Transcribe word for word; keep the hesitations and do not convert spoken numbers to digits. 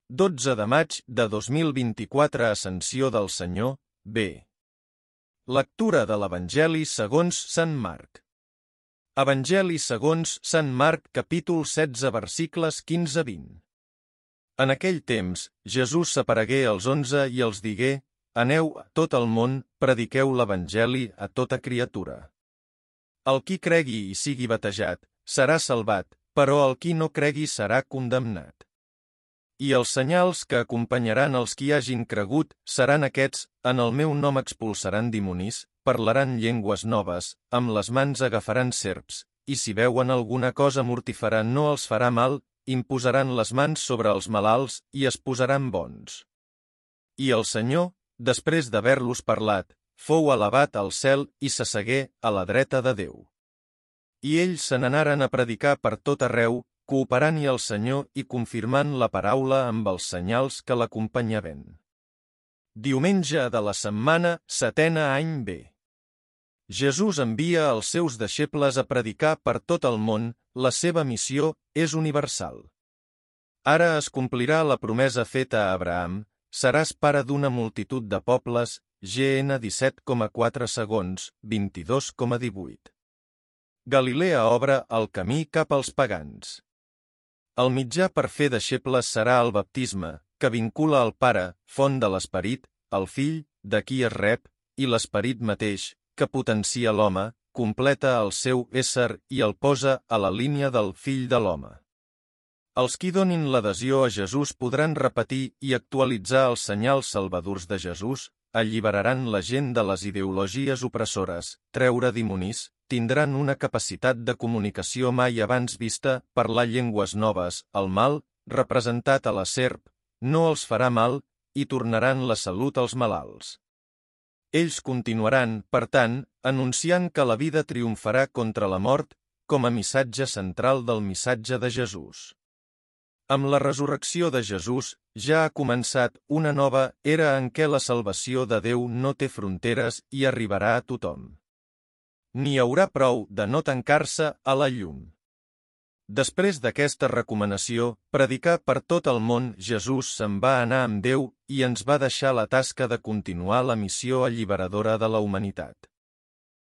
dotze de maig de dos mil vint-i-quatre Ascensió del Senyor, B. Lectura de l'Evangeli segons Sant Marc. Evangeli segons Sant Marc, capítol setze, versicles quinze a vint. En aquell temps, Jesús s'aparegué als onze i els digué: Aneu a tot el món, prediqueu l'Evangeli a tota criatura. El qui cregui i sigui batejat, serà salvat, però el qui no cregui serà condemnat. I els senyals que acompanyaran els qui hagin cregut seran aquests: en el meu nom expulsaran dimonis, parlaran llengües noves, amb les mans agafaran serps, i si veuen alguna cosa mortífera no els farà mal, imposaran les mans sobre els malalts i es posaran bons. I el Senyor, després d'haver-los parlat, fou elevat al cel i s'assegué a la dreta de Déu. I ells se n'anaren a predicar per tot arreu, cooperant-hi al Senyor i confirmant la paraula amb els senyals que l'acompanyaven. Diumenge de la setmana, setena any B. Jesús envia els seus deixebles a predicar per tot el món. La seva missió és universal. Ara es complirà la promesa feta a Abraham: seràs pare d'una multitud de pobles. G N disset coma quatre segons, vint-i-dos coma divuit. Galilea obre el camí cap als pagans. El mitjà per fer deixebles serà el baptisme, que vincula el Pare, font de l'Esperit, el Fill, de qui es rep, i l'Esperit mateix, que potencia l'home, completa el seu ésser i el posa a la línia del Fill de l'home. Els qui donin l'adhesió a Jesús podran repetir i actualitzar els senyals salvadors de Jesús, alliberaran la gent de les ideologies opressores, treure dimonis, tindran una capacitat de comunicació mai abans vista, parlar llengües noves, el mal, representat a la serp, no els farà mal, i tornaran la salut als malalts. Ells continuaran, per tant, anunciant que la vida triomfarà contra la mort, com a missatge central del missatge de Jesús. Amb la resurrecció de Jesús, ja ha començat una nova era en què la salvació de Déu no té fronteres i arribarà a tothom. N'hi haurà prou de no tancar-se a la llum. Després d'aquesta recomanació, predicar per tot el món, Jesús se'n va anar amb Déu i ens va deixar la tasca de continuar la missió alliberadora de la humanitat.